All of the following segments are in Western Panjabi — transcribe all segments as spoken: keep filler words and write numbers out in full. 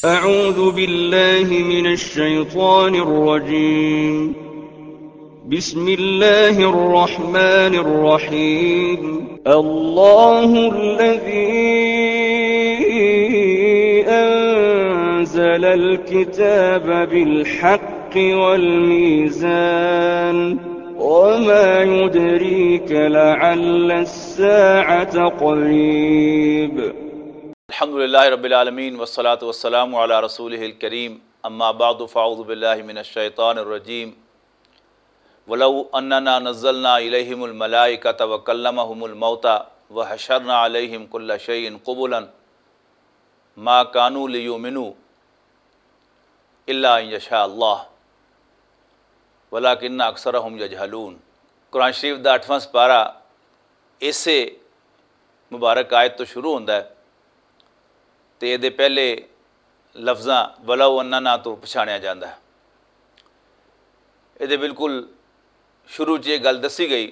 أعوذ بالله من الشيطان الرجيم. بسم الله الرحمن الرحيم. الله الذي أنزل الكتاب بالحق والميزان. وما يدريك لعل الساعة قريب. الحمد لله رب العالمين، والصلاة والسلام على رسوله الكريم. أما بعد، فأعوذ بالله من الشيطان الرجيم. ولو أننا نزلنا إليهم الملائكة وكلمهم الموتى وحشرنا عليهم كل شيء قبلا ما كانوا ليؤمنوا إلا أن يشاء الله ولكن أكثرهم يجهلون۔ قرآن شریف دا اٹھواں سپارہ اسے مبارک آیت تو شروع ہوندا ہے تے اے دے پہلے لفظاں ولو اننا تو پچھانیا جاندا ہے۔ اے دے بالکل شروع چ یہ گل دسی گئی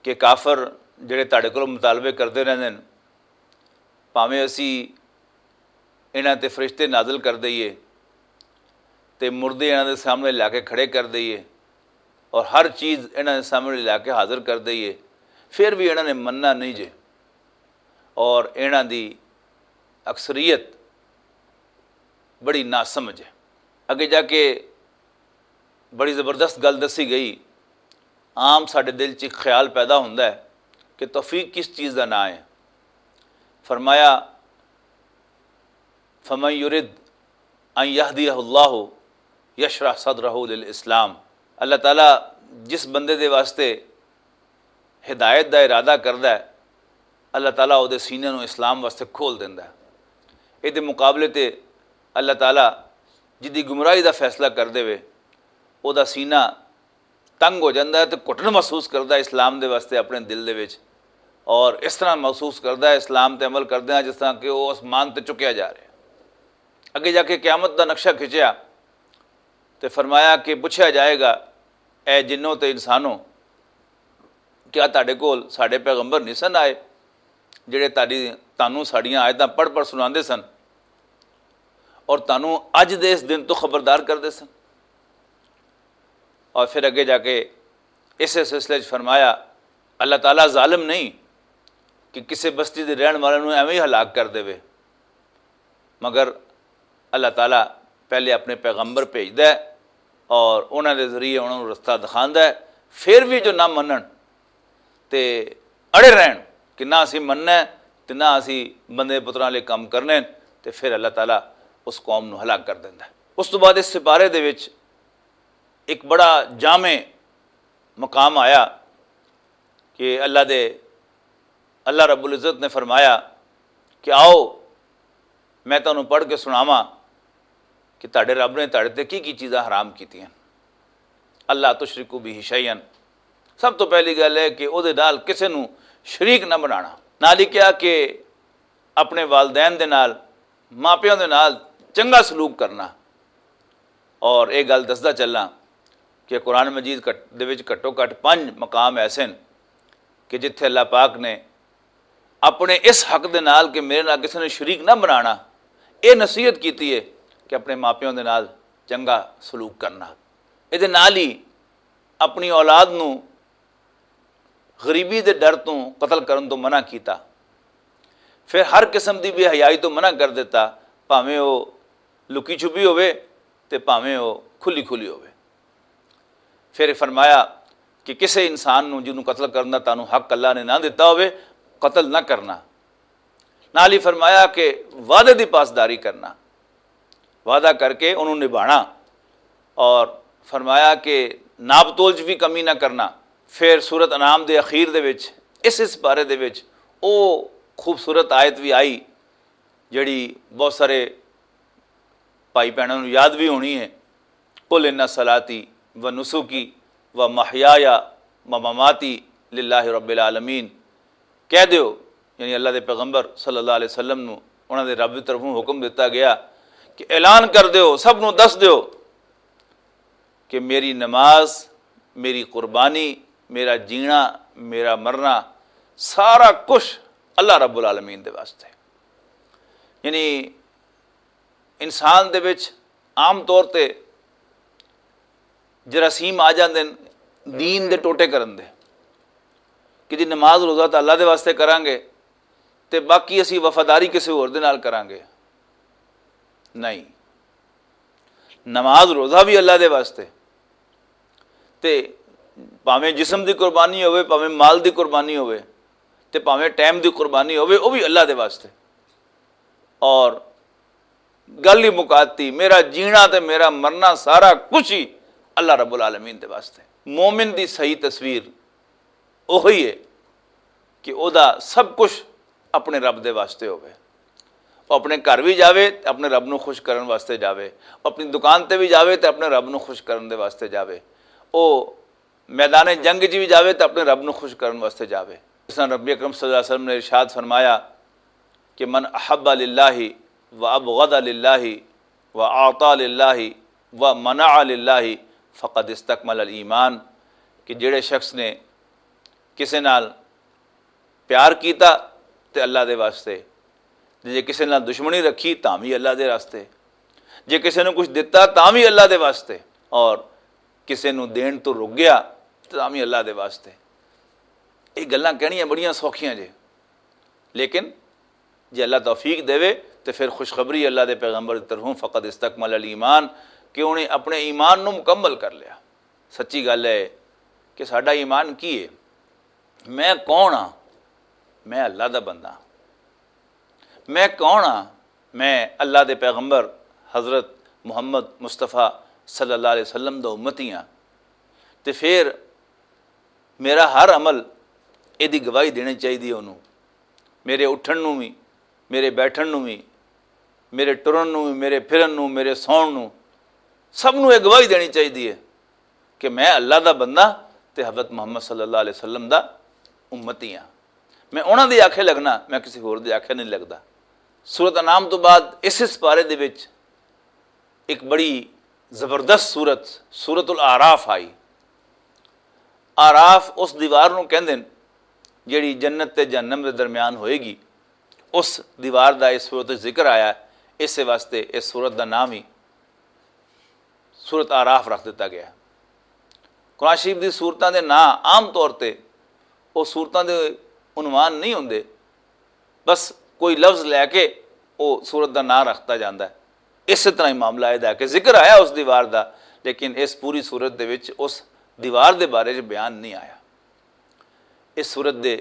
کہ کافر جڑے تہاڈے کولوں مطالبے کردے رہندے نے، بھاویں اسی انہاں تے فرشتے نازل کر دئیے تے مردے انہاں دے سامنے لا کے کھڑے کر دئیے اور ہر چیز انہاں دے سامنے لا کے حاضر کر دئیے، پھر بھی انہاں نے مننا نہیں جے۔ اور انہاں دی اکثریت بڑی ناسمجھ ہے۔ اگے جا کے بڑی زبردست گل دسی گئی۔ عام ساڈے دل چ ایک خیال پیدا ہوندا ہے کہ توفیق کس چیز دا نام ہے۔ فرمایا، فمن یرد ان یہدیہ اللہ یشرح صدرہ للاسلام۔ اللہ تعالیٰ جس بندے دے واسطے ہدایت دا ارادہ کردا ہے، اللہ تعالیٰ او دے سینے نوں اسلام واسطے کھول دیندا ہے۔ اے دے مقابلے تے اللہ تعالیٰ جدی گمراہی دا فیصلہ کر دے وے، او دا سینہ تنگ ہو جاندا ہے تے گھٹن محسوس کردا ہے اسلام دے واسطے اپنے دل دے وچ، اور اس طرح محسوس کردا ہے اسلام تے عمل کردیاں جس طرح کہ او آسمان تے چکیا جا رہا ہے۔ اگے جا کے قیامت دا نقشہ کھچیا تے فرمایا کہ پوچھا جائے گا، اے جنوں تے انسانوں، کیا تہاڈے کول ساڈے پیغمبر نہیں سن آئے جڑے تہاڈی، تانوں ساڈیاں آیتاں پڑھ پڑھ سناندے سن اور تانوں اج دے اس دن تو خبردار کردے سن؟ اور پھر اگے جا کے اسے سلسلے چ فرمایا، اللہ تعالیٰ ظالم نہیں کہ کسے بستی دے رہن والے نوں ایویں ہی ہلاک کر دے، مگر اللہ تعالیٰ پہلے اپنے پیغمبر بھیجدا ہے اور انہاں دے ذریعے انہاں نوں رستہ دکھاندا ہے۔ پھر بھی جو نہ منن تے اڑے رہن کہ نہ اسی مننا ہے تے نہ اسی بندے پتراں لے کم کرنے، تے پھر اللہ تعالیٰ اس قوم نوں ہلاک کر دیندا ہے۔ اس تو بعد اس سپارے دے وچ ایک بڑا جامع مقام آیا کہ اللہ دے، اللہ رب العزت نے فرمایا کہ آؤ میں تانوں پڑھ کے سناواں کہ تہاڈے رب نے تہاڈے تے کی کی چیزاں حرام کیتیاں۔ اللہ تشرکو بہ شیئا، سب تو پہلی گل ہے کہ او دے نال کسے نوں شریک نہ بنانا۔ نال ہی کہا کہ اپنے والدین دے نال، ماپیاں دے نال چنگا سلوک کرنا۔ اور یہ گل دسدا چلاں کہ قرآن مجید کٹ- دے وچ گھٹو گھٹ پنج مقام ایسے ہیں کہ جتھے اللہ پاک نے اپنے اس حق دے نال کہ میرے نال کسی نے شریک نہ بنانا، یہ نصیحت کیتی ہے کہ اپنے ماپیوں دے نال چنگا سلوک کرنا۔ یہ دے نال ہی اپنی اولاد نو غریبی دے ڈر توں قتل کرن توں منع کیتا۔ پھر ہر قسم دی بے حیائی توں منع کر دتا، بھاویں او لکی چھپی ہووے تے بھاویں او کھلی کھلی ہووے۔ پھر فرمایا کہ کسے انسان نوں جنوں قتل کرن دا تانوں حق اللہ نے نہ دتا ہووے، قتل نہ کرنا۔ نال ہی فرمایا کہ وعدے دی پاسداری کرنا، وعدہ کر کے انہوں نبھانا۔ اور فرمایا کہ ناپ تول چ بھی کمی نہ کرنا۔ پھر سورت انعام دے اخیر دے وچ، اس اس بارے دے وچ او خوبصورت آیت بھی آئی جڑی بہت سارے بھائی بہنوں نوں یاد بھی ہونی ہے، قل ان صلاتی و نسکی و محیایا و مماتی للہ رب العالمین۔ کہہ دیو، یعنی اللہ دے پیغمبر صلی اللہ علیہ وسلم نو انہاں دے رب دی طرفوں حکم دتا گیا کہ اعلان کر دیو، سب نو دس دیو کہ میری نماز، میری قربانی، میرا جینا، میرا مرنا، سارا کچھ اللہ رب العالمین دے واسطے۔ یعنی انسان دے وچ عام طور تے جراثیم آ جاندے نے دین دے ٹوٹے کرن دے، کہ جی نماز روزہ تاں اللہ دے واسطے کراں گے، تے باقی اسی وفاداری کسی ہور دے نال کراں گے۔ نہیں، نماز روزہ بھی اللہ دے واسطے، تے پاویں جسم دی قربانی ہوئے، پاویں مال دی قربانی ہوئے، تے پاویں ٹائم دی قربانی ہوئے، وہ بھی اللہ دے واسطے۔ اور گل ہی مکاتی، میرا جینا تے میرا مرنا، سارا کچھ ہی اللہ رب العالمین دے واسطے۔ مومن دی صحیح تصویر اوہی ہے کہ او دا سب کچھ اپنے رب دے واسطے ہوئے۔ او اپنے گھر بھی جاوے تے اپنے رب نو خوش کرن واسطے جاوے، او اپنی دکان تے بھی جاوے تے اپنے رب نو خوش کرن دے واسطے جاوے، او میدان جنگ وچ بھی جاوے تے اپنے رب نو خوش کرن واسطے جاوے۔ جس طرح نبی اکرم صلی اللہ علیہ وسلم نے ارشاد فرمایا کہ من احب للہ و ابغض للہ و اعطا للہ و منع للہ فقد استکمل الایمان، کہ جڑے شخص نے کسے نال پیار کیتا تے اللہ دے واسطے، تے جے کسے نال دشمنی رکھی تاں وی اللہ دے واسطے، جے کسے نوں کچھ دتا تاں وی اللہ دے واسطے، اور کسے نوں دین تو رک گیا تاں وی اللہ دے واسطے۔ یہ گلاں کہنیاں بڑیاں سوکھیاں جے، لیکن جے اللہ توفیق دے تے پھر خوشخبری اللہ دے پیغمبر دی طرفوں، فقد استکمل الایمان، کہ انہیں اپنے ایمان نوں مکمل کر لیا۔ سچی گل ہے کہ ساڈا ایمان کی ہے؟ میں کون ہاں؟ میں اللہ دا بندہ ہاں۔ میں کون ہاں؟ میں اللہ دے پیغمبر حضرت محمد مصطفیٰ صلی اللہ علیہ وسلم دا امتی ہاں۔ تے پھر میرا ہر عمل ایہدی گواہی دینی چاہیدی ہے انہوں۔ میرے اٹھن نوں وی، میرے بیٹھن نوں وی، میرے ٹرن نوں وی، میرے پھرن نوں، میرے سون نوں، سب نوں یہ گواہی دینی چاہیدی ہے کہ میں اللہ دا بندہ تے حضرت محمد صلی اللہ علیہ وسلم دا امتی ہاں۔ میں انہاں دی آکھے لگنا، میں کسی ہور دی آکھے نہیں لگدا۔ سورت انعام تو بعد اس اس پارے دے وچ ایک بڑی زبردست سورت، سورت الاعراف آئی۔ آراف اس دیوار نوں کہندے نے جیڑی جنت تے جہنم دے درمیان ہوئے گی۔ اس دیوار دا اس سورت وچ ذکر آیا ہے، اس واسطے اس سورت دا نام ہی سورت آراف رکھ دتا گیا ہے۔ قرآن شریف دی سورتاں دے نام عام طور تے او سورتاں دے عنوان نہیں ہوندے، بس کوئی لفظ لے کے او سورت دا نام رکھتا جاندا ہے۔ اس طرح ہی معاملہ ہے کہ ذکر آیا اس دیوار دا، لیکن اس پوری سورت دے وچ اس دیوار دے بارے وچ بیان نہیں آیا۔ اس سورت دے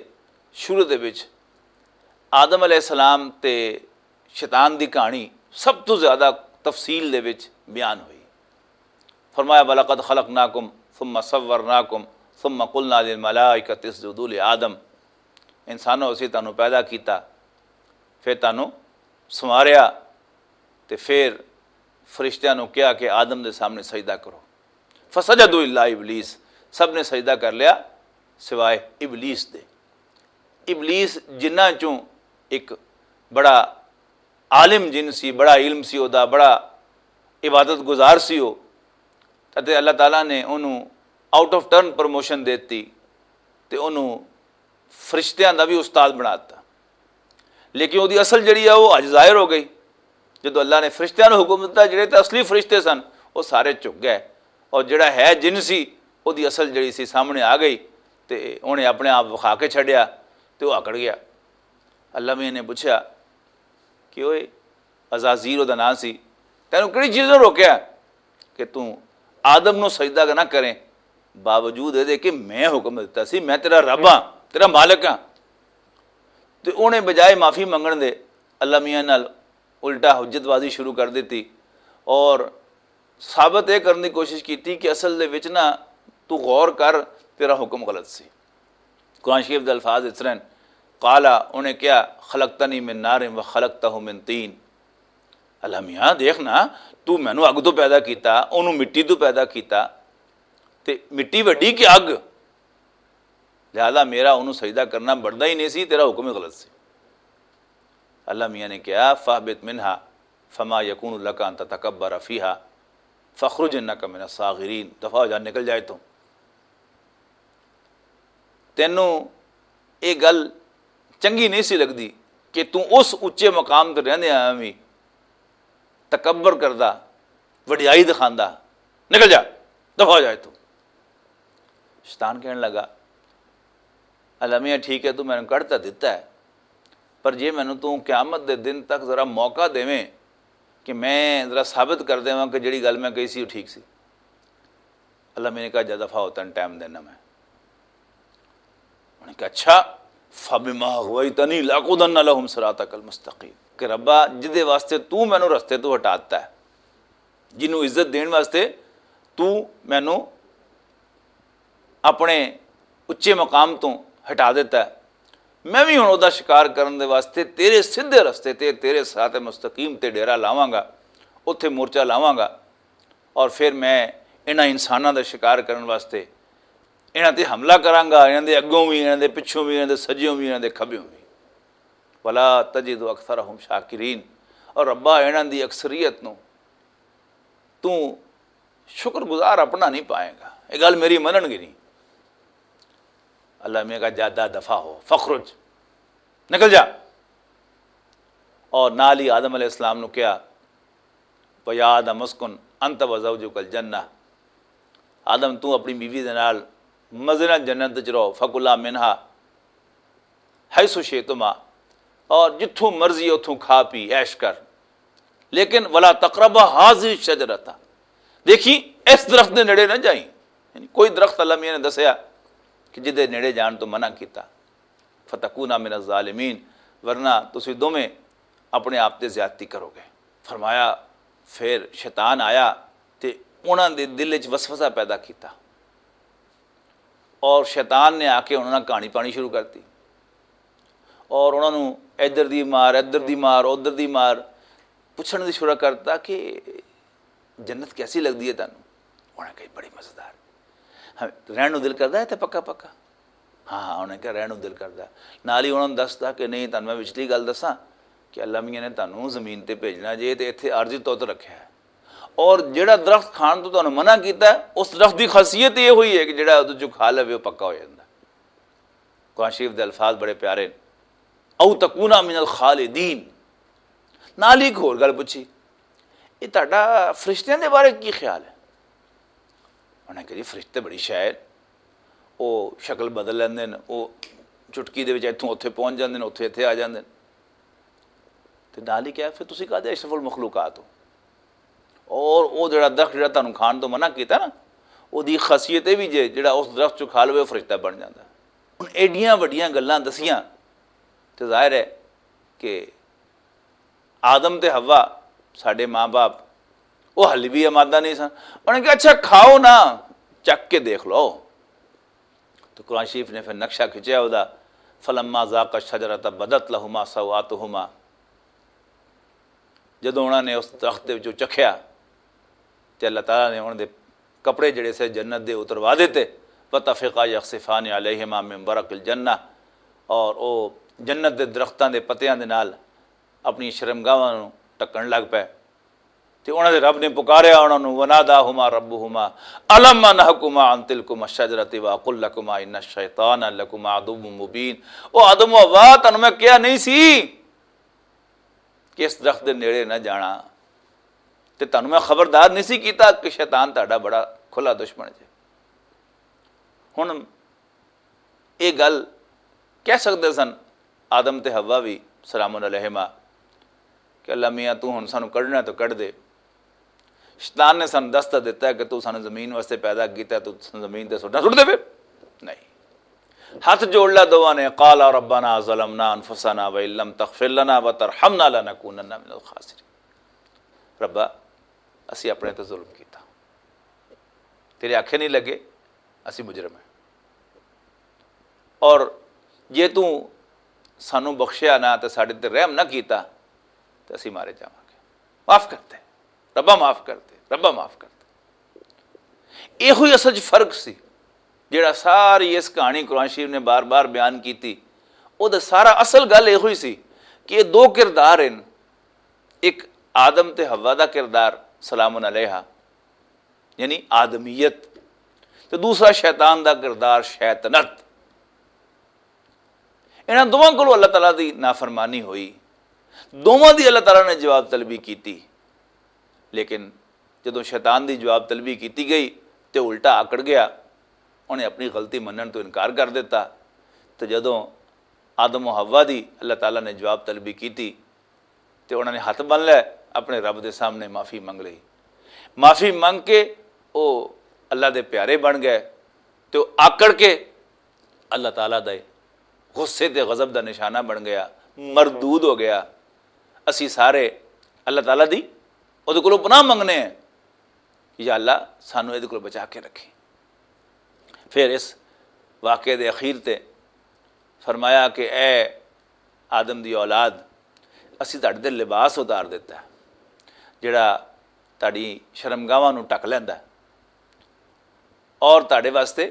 شروع دے وچ آدم علیہ السلام تے شیطان دی کہانی سب تو زیادہ تفصیل دے وچ بیان ہوئی۔ فرمایا، "وَلَقَدْ خَلَقْنَاكُمْ ثُمَّ صَوَّرْنَاكُمْ ثُمَّ قُلْنَا لِلْمَلَائِكَةِ اسْجُدُوا لِآدَمَ۔" انسانوں، اسی تانوں پیدا کیتا، پھر تانوں سنواریا، تے پھر فرشتیاں نوں کہیا کہ آدم دے سامنے سجدہ کرو۔ فسجدوا الا ابلیس، سب نے سجدہ کر لیا سوائے ابلیس دے۔ ابلیس جنہاں چوں ایک بڑا عالم جن سی، بڑا علم سی او دا، بڑا عبادت گزار سی او، تے اللہ تعالیٰ نے انہوں آؤٹ آف ٹرن پروموشن دیتی تے انہوں فرشتیاں دا بھی استاد بنا دتا۔ لیکن وہ اصل جڑی ہے وہ اج ظاہر ہو گئی۔ جدو اللہ نے فرشتیاں نوں حکم دتا، جڑے تے اصلی فرشتے سن، وہ سارے جھک گئے، اور جڑا ہے جن سی، وہ اصل جڑی سی سامنے آ گئی، تے انہیں اپنے آپ وکھا کے چھڈیا، تے وہ اکڑ گیا۔ اللہ میاں نے پوچھا کہ اوئے، عزازیل دا نام سی، تینوں کہڑی چیز نے روکیا کہ توں آدم نوں سجدہ نہ کریں؟ باوجود اے دے کہ میں حکم دتا سی، میں تیرا رب ہاں، تیرا مالک ہاں۔ تے اونے بجائے معافی منگن دے، اللہ میاں نال الٹا حجت بازی شروع کر دتی، اور ثابت اے کرن دی کوشش کیتی کہ اصل دے وچ نہ، تو غور کر، تیرا حکم غلط سی۔ قرآن شریف دے الفاظ اس طرح ہیں، قالا، انہیں کہا، خلقتنی من نار و خلقتہ من طین۔ اللہ میاں، دیکھ نا، تو مینوں اگ تو پیدا کیتا، انہوں مٹی تو پیدا کیتا، تے مٹی وڈی کہ اگ؟ لہذا میرا انہوں سجدہ کرنا بندا ہی نہیں سی، تیرا حکم ہی غلط سی۔ اللہ میاں نے کہا، فاہبط منہا فما یکون لک ان تتکبر فیہا فاخرج انک من الصاغرین، دفعہ ہو جا، نکل جائے تو۔ تینوں یہ گل چنگی نہیں سی لگدی کہ توں اس اچے مقام تے رہندے آیا وی تکبر کردا، وڈیائی دکھاندا، نکل جا، دفع ہو جائے تو۔ شیطان کہن لگا، اللہ میاں، ٹھیک ہے، تو مینوں کڈ تاں دتا ہے، پر جے مینوں تو قیامت دے دن تک ذرا موقع دیویں کہ میں ذرا ثابت کر دیواں کہ جڑی گل میں کہی سی، وہ ٹھیک سی۔ اللہ میاں نے کہا، جا دفع ہو، تن ٹائم دینا میں۔ انہوں نے کہا، اچھا، فبما اغویتنی لاقعدن لهم صراطک المستقیم، کہ ربا، جدے واسطے تو مینوں رستے تو ہٹا دتا ہے، جنوں عزت دین واسطے تو مینوں اپنے اچے مقام تو ہٹا دیتا ہے، میں بھی ہن ادا شکار کرن دے واسطے تیرے سیدھے رستے تے، تیرے صراط مستقیم تے ڈیرا لاواں گا، اوتھے مورچہ لاواں گا، اور پھر میں انہاں انساناں دا شکار کرن واسطے انہاں تے حملہ کراں گا، انہاں دے اگوں بھی، انہاں دے پچھوں بھی، انہاں دے سجیوں بھی، انہاں دے کھبیوں بھی۔ ولا تجد اکثرهم شاکرین، اور ربا، انہاں دی اکثریت نو تو شکر گزار اپنا نہیں پائے گا، یہ گل میری منن گی نہیں۔ اللہ میاں کا جادا دفع ہو، فخرج، نکل جا۔ اور نال ہی آدم علیہ السلام نو کہا، وَيَا آدَمُ اسْكُنْ أَنْتَ وَزَوْجُكَ الْجَنَّةَ، آدم، تو اپنی بیوی دے نال مزے نال جنت وچ رہو، فَكُلَا مِنْهَا حَيْثُ شِئْتُمَا، اور جتھوں مرضی اتھوں کھا پی عیش کر، لیکن وَلَا تَقْرَبَا هَٰذِهِ الشَّجَرَةَ، دیکھی، اس درخت دے نیڑے نہ جائیں۔ یعنی کوئی درخت اللہ میاں نے دسیا کہ جدے نیڑے جان تو منع کیتا، فَتَكُونَا مِنَ الظَّالِمِينَ، ورنہ تسی دوویں اپنے آپ تے زیادتی کرو گے۔ فرمایا، پھر شیطان آیا تے انہاں دے دل وچ وسوسہ پیدا کیتا، اور شیطان نے آ کے انہاں نال کہانی پانی شروع کر دی، اور انہاں نوں ادھر دی مار، ادھر دی مار، ادھر دی مار، پوچھن دی شروع کرتا کہ جنت کیسی لگدی ہے تانوں؟ انہاں نے کہا، بڑی مزیدار۔ ہاں، رہن نوں دل کردا ہے تے پکا پکا؟ ہاں ہاں، انہاں نے کہا، رہن نوں دل کردا۔ نال ہی انہاں نے دستا کہ نہیں، تانوں میں وچلی گل دساں کہ اللہ میاں نے تانوں زمین تے بھیجنا جے تے اتھے عارضی طور تے رکھیا ہے، اور جڑا درخت کھان تو تانوں منع کیتا ہے، اس درخت دی خاصیت یہ ہوئی ہے کہ جڑا ادھر جو کھا لوے، وہ پکا ہو جاندا۔ قرآن شریف دے الفاظ بڑے پیارے نے، او تکونا من الخالدین۔ نال ہی ایک ہور گل پوچھی، یہ تہاڈا فرشتیاں دے بارے کی خیال ہے؟ انہاں نے کہا، جی، فرشتے بڑی شے ہے، وہ شکل بدل لیندے نے، وہ چٹکی دے وچ اتھوں اتھے پہنچ جاندے نے، اتھے اتھے آ جاندے نے۔ تے نال ہی کہا، پھر تسی کہدے اشرف المخلوقات ہو؟ اور وہ جڑا درخت جڑا تانوں کھان تو منع کیتا نا، وہ دی خاصیت یہ بھی جے، جڑا اس درخت چوں کھا لوے، وہ فرشتہ بن جاندا۔ ہن ایڈیاں وڈیاں گلاں دسیاں، تے ظاہر ہے کہ آدم تے حوا، ساڈے ماں باپ، وہ ہلی بھی آمادہ نہیں سن۔ انہاں نے کہا، اچھا، کھاؤ نا، چک کے دیکھ لو۔ تو قرآن شریف نے پھر نقشہ کھچیا ہودا، فلما ذاق الشجرۃ بدت لہما سوآتہما، جدوں انہاں نے اس درخت دے وچوں چکھیا، تے اللہ تعالیٰ نے انہاں دے کپڑے جڑے سے جنت دے اتروا دیتے، وطفقا یخصفان علیہما من ورق الجنہ، اور او جنت دے درختاں دے پتیاں دے نال اپنی شرمگاہاں نوں ڈھکن لگ پے۔ تے انہاں دے رب نے پکاریا انہاں نوں، وناداہما ربہما الم انہکما عن تلکما الشجرۃ واقل لکما ان الشیطان لکما عدو مبین۔ او آدم و حوا، تانوں میں کہیا نہیں سی کہ اس درخت دے نیڑے نہ جانا؟ تے تانوں میں خبردار نہیں سی کیتا کہ شیطان تہاڈا بڑا کھلا دشمن ہے؟ ہن یہ گل کہہ سکدے سن آدم تے حوا بھی، سلام علیہما، کہ اللہ میاں، تو ہن سانوں کڈنا تو کڈ دے۔ شیطان نے سانوں دس تاں دتا ہے کہ تو سانوں زمین واسطے پیدا کیتا ہے، تو سانوں زمین تے سٹنا، سٹ دے پھر۔ نہیں۔ ہاتھ جوڑ لیا دوواں نے، قال ربنا ظلمنا انفسنا وان لم تغفر لنا وترحمنا لنکونن من الخاسرین۔ ربا، اسی اپنے تے ظلم کیتا، تیرے آکھے نہیں لگے، اسی مجرم ہیں، اور جے تو سانوں بخشیا نہ تے ساڈے تے رحم نہ کیتا تے اسی مارے جاواں گے۔ معاف کر دے، ربا معاف کر دے، ربا معاف کر دے۔ یہ ہوئی اصل چ فرق سی جڑا ساری اس کہانی قرآن شریف نے بار بار بیان کیتی۔ او دا سارا اصل گل یہ ہوئی سی کہ یہ دو کردار ہیں، ایک آدم تے حوا دا کردار، سلام علیہا، یعنی آدمیت، تے دوسرا شیطان دا کردار، شیطنت۔ انہاں دوواں کولوں اللہ تعالیٰ دی نافرمانی ہوئی، دوواں دی اللہ تعالیٰ نے جواب طلبی کیتی۔ لیکن جدوں شیطان دی جواب طلبی کیتی گئی تے الٹا آکڑ گیا، انہیں اپنی غلطی منن تو انکار کر دیتا۔ تے جدوں آدم و حوا دی اللہ تعالیٰ نے جواب طلبی کیتی تے انہاں نے ہاتھ بن لے، اپنے رب دے سامنے معافی منگ لئی۔ معافی منگ کے او اللہ دے پیارے بن گئے تے او آکڑ کے اللہ تعالیٰ دے غصے تے غضب دا نشانہ بن گیا، مردود ہو گیا۔ اسی سارے اللہ تعالیٰ دی اودے کولوں پناہ منگنے ہیں، یا اللہ، سانو اودے کولوں بچا کے رکھیں۔ پھر اس واقعے دے اخیر تے فرمایا کہ اے آدم دی اولاد، اسی تہاڈے تے لباس اتار دیتا ہے جڑا تہاڈی شرمگاہواں نوں ڈھک لیندا ہے اور تہاڈے واسطے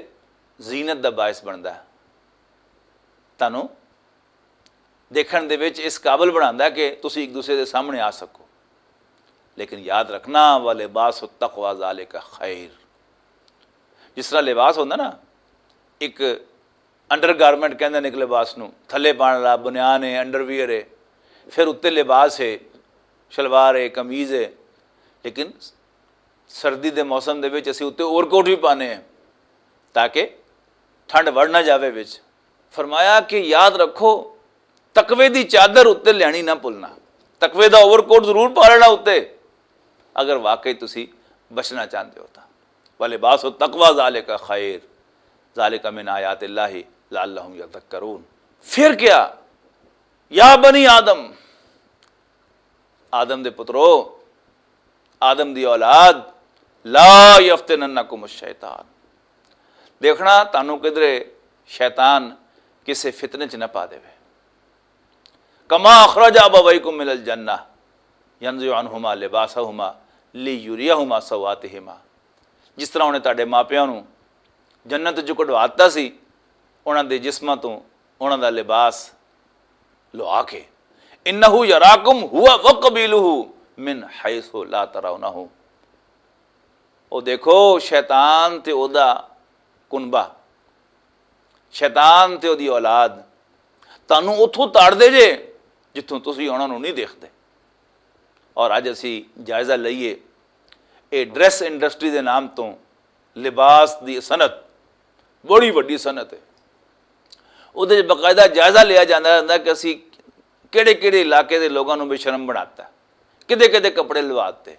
زینت دا باعث بندا ہے، تانوں دیکھن دے وچ اس قابل بناندا ہے کہ تسی ایک دوسرے دے سامنے آ سکو۔ لیکن یاد رکھنا، ولباس التقوی ذالک خیر۔ جس طرح لباس ہوندا نا، ایک انڈر گارمنٹ کہندے نے ایک لباس نو، تھلے پاؤن والا بنیان ہے، انڈر ویئر ہے، پھر اتنے لباس ہے، شلوار ہے، قمیض ہے، لیکن سردی دے موسم دے وچ اسی اتنے اوور کوٹ بھی پانے ہیں تاکہ ٹھنڈ وڑ نہ جاوے وچ۔ فرمایا کہ یاد رکھو، تقوی دی چادر اتنے لینی نہ بھولنا۔ تقوی دا اوور کوٹ ضرور پا لینا اتنے، اگر واقعی تسی بچنا چاہتے ہو تاں۔ ولباس التقوی ذالک خیر، ذالک من آیات اللہ لعلہم یذکرون۔ پھر کیا؟ یا بنی آدم، آدم دے پترو، آدم دی اولاد، لا یفتننکم الشیطان۔ دیکھنا تانوں کدرے شیطان کسے فتنے چ نہ پا دے۔ کما اخرج ابویکم من الجنہ ینزع عنہما لباسہما لیریہما سوآتہما۔ جس طرح انہیں تہاڈے ماپیاں نوں جنت چوں کڈوا دتا سی، انہاں دے جسماں توں انہاں دا لباس لوا کے۔ انہ یراکم ہوا وقبیلہ من حیث لا ترونہم۔ او دیکھو، شیطان تے او دا کنبہ، شیطان تے او دی اولاد تانوں اتھوں تاڑ دے جے جتھوں تسی انہاں نوں نہیں دیکھدے۔ اور اج اسی جائزہ لئیے، اے ڈریس انڈسٹری دے نام توں لباس دی صنعت بڑی وڈی صنعت ہے۔ اودے وچ باقاعدہ جائزہ لیا جاندا رہندا کہ اسی کیڑے کیڑے علاقے دے لوگاں نوں بے شرم بناتا، کدے کدے کپڑے لواتے۔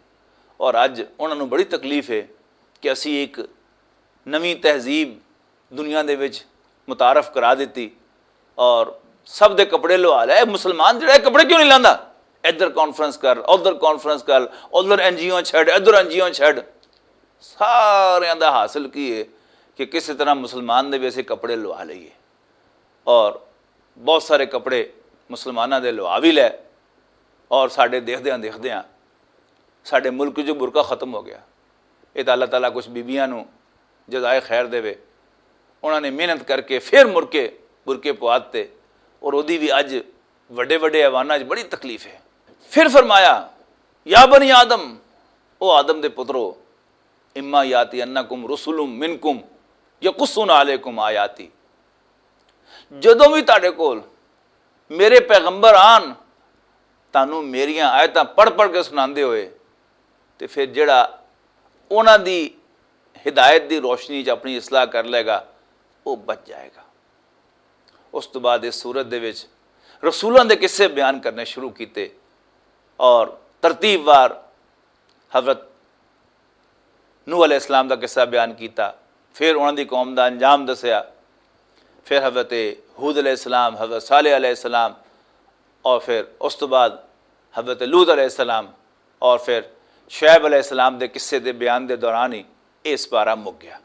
اور اج انہاں نوں بڑی تکلیف ہے کہ اسی ایک نویں تہذیب دنیا دے وچ متعارف کرا دتی اور سب دے کپڑے لوا لے۔ اے مسلمان جڑا ہے کپڑے کیوں نہیں لاندا؟ ادھر کانفرنس کر، ادھر کانفرنس کر، ادھر این جی او چھڈ، ادھر این جی او چھڈ۔ ساریاں دا حاصل کی ہے کہ کسی طرح مسلمان دے ویسے کپڑے لوا لئیے۔ اور بہت سارے کپڑے مسلماناں دے لوا بھی لے۔ اور ساڈے دیکھدیاں دیکھدیاں ساڈے ملک جو برقع ختم ہو گیا۔ یہ تو اللہ تعالیٰ کچھ بیبیاں نو جزائے خیر دے وے۔ انہاں نے محنت کر کے پھر مر کے برقعے پوا دتے۔ اور اودی بھی اج وڈے وڈے ایواناں وچ بڑی تکلیف ہے۔ پھر فرمایا، یا بنی آدم، او آدم دے پترو، اما یاتی انکم رسول منکم یقصون علیکم آیاتی۔ جدوں بھی تہاڈے کول میرے پیغمبر آن، تانوں میریاں آیتاں پڑھ پڑھ کے سناندے ہوئے، تے پھر جڑا انہاں دی ہدایت دی روشنی چ اپنی اصلاح کر لے گا، وہ بچ جائے گا۔ اس تو بعد اس سورت دے وچ رسولاں دے قصے بیان کرنے شروع کیتے اور ترتیب وار حضرت نوح علیہ السلام دا قصہ بیان کیتا، پھر انہاں دی قوم دا انجام دسیا، پھر حضرت ہود علیہ السلام، حضرت صالح علیہ السلام، اور پھر اس تو بعد حضرت لوط علیہ السلام، اور پھر شعیب علیہ السلام دے قصے دے بیان دے دوران ہی یہ سپارہ مک گیا۔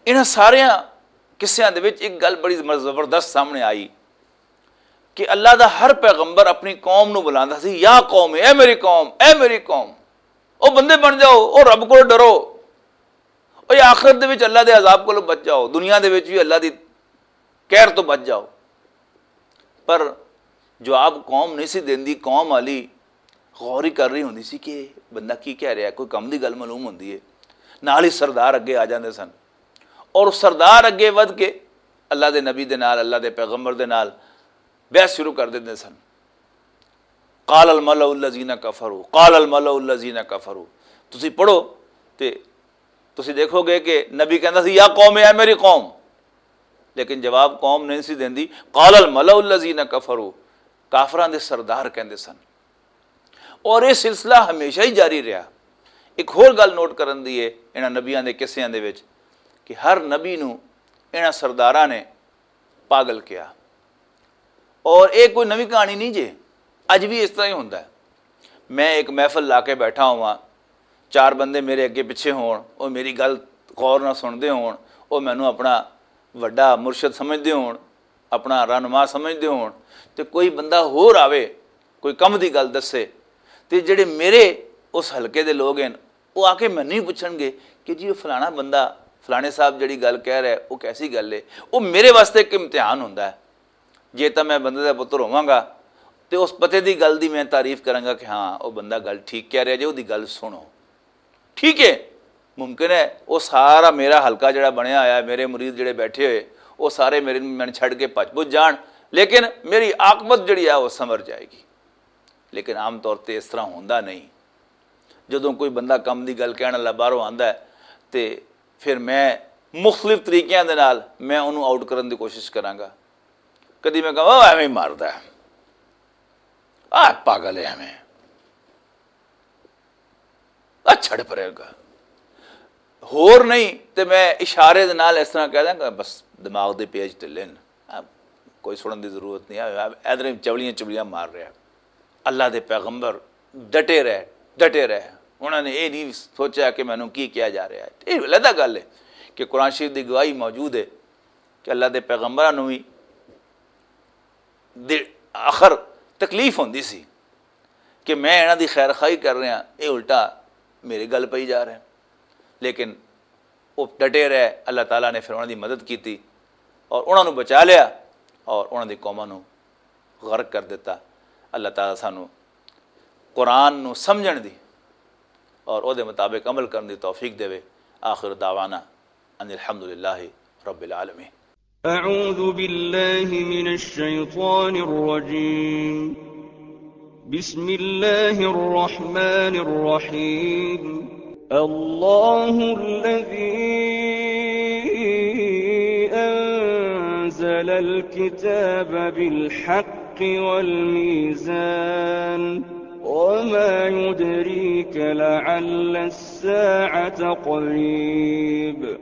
انہاں سارے قصیاں دے وچ ایک گل بڑی زبردست سامنے آئی کہ اللہ دا ہر پیغمبر اپنی قوم نو بلاندا سی، یا قوم، اے میری قوم، اے میری قوم۔ او بندے بن جاؤ، او رب کو ڈرو، او یہ آخرت دے وچ اللہ دے عذاب کو بچ جاؤ، دنیا دے وچ بھی اللہ دی قہر تو بچ جاؤ۔ پر جواب قوم نہیں سی دیندی، قوم والی غور ہی کر رہی ہوندی سی کہ بندہ کی کہہ رہا ہے، کوئی کم دی گل معلوم ہوندی ہے۔ نال ہی سردار اگے آ جاندے سن اور سردار اگے ودھ کے اللہ دے نبی دے نال، اللہ دے پیغمبر دے نال بحث شروع کر دیندے سن۔ قال الملأ الذین کفروا، قال الملأ الذین کفروا، تسی پڑھو تے تسی دیکھو گے کہ نبی کہندا سی، "یا قوم، اے میری قوم۔" لیکن جواب قوم نہیں سی دیندی۔ "قال الملأ الذین کفروا"، کافراں دے سردار کہندے سن۔ اور یہ سلسلہ ہمیشہ ہی جاری رہا۔ ایک ہور گل نوٹ کرن دی ہے انہاں نبیاں دے قصیاں دے وچ کہ ہر نبی نو انہاں سرداراں نے پاگل کیا۔ اور یہ کوئی نوی کہانی نہیں جے، اج بھی اس طرح ہی ہوندا ہے۔ میں ایک محفل لا کے بیٹھا ہوا، چار بندے میرے اگے پچھے ہون، وہ میری گل غور نہ سنتے ہون، وہ مینوں اپنا وڈا مرشد سمجھتے ہون، اپنا رہنما سمجھتے ہون، تے کوئی بندہ ہور آوے، کوئی کم دی گل دسے، تے جڑے میرے اس حلقے دے لوگ ہیں، وہ آ کے مینوں ہی پوچھن گے کہ جی، وہ فلانا بندہ، فلانے صاحب جڑی گل کہہ رہا ہے، وہ کیسی گل ہے؟ وہ میرے واسطے ایک امتحان ہوندا ہے۔ جے تاں میں بندے دا پتر ہوواں گا تے اس پتے دی گل دی میں تعریف کراں گا کہ ہاں، وہ بندہ گل ٹھیک کہہ رہا جے، وہ دی گل سنو۔ ٹھیک ہے، ممکن ہے وہ سارا میرا حلقہ جڑا بنیا ہویا ہے، میرے مرید جڑے بیٹھے ہوئے، وہ سارے میرے من چھڈ کے بھج بج جان، لیکن میری عاقبت جڑی ہے وہ سمر جائے گی۔ لیکن عام طور تے اس طرح ہوندا نہیں۔ جدوں کوئی بندہ کم دی گل کہن والا باہروں آندا ہے تے پھر میں مختلف طریقیاں دے نال میں انہوں آؤٹ کرن دی کوشش کراں گا۔ کدی میں کہاں، "او ایویں ہی ماردا ہے، آ پاگل ہے ایویں، آ چھڑ پرے گا۔" ہور نہیں تے میں اشارے دے نال اس طرح کہہ داں کہ بس دماغ دے پیج ڈلے نے، آ کوئی سنن دی ضرورت نہیں ہے، ادھر چولیاں چولیاں مار رہا۔ اللہ دے پیغمبر ڈٹے رہے، ڈٹے رہے۔ انہوں نے یہ نہیں سوچا کہ مینوں کی کیا جا رہا ہے۔ یہ علیحدہ گل ہے کہ قرآن شریف دی گواہی موجود ہے کہ اللہ دے پیغمبراں نوں بھی دے آخر تکلیف ہوندی سی کہ میں انہاں دی خیر خواہی کر رہا، یہ الٹا میرے گل پئی جا رہے ہیں۔ لیکن وہ ڈٹے رہے، اللہ تعالیٰ نے پھر انہاں دی مدد کیتی اور انہاں نوں بچا لیا اور انہاں دی قوماں نوں غرق کر دیتا۔ اللہ تعالیٰ سانو قرآن نو سمجھن دی اور او دے مطابق عمل کرن دی توفیق دے۔ آخر دعوانا ان الحمدللہ رب العالمین۔ أعوذ بالله من الشيطان الرجيم. بسم الله الرحمن الرحيم. الله الذي أنزل الكتاب بالحق والميزان. وما يدريك لعل الساعة قريب.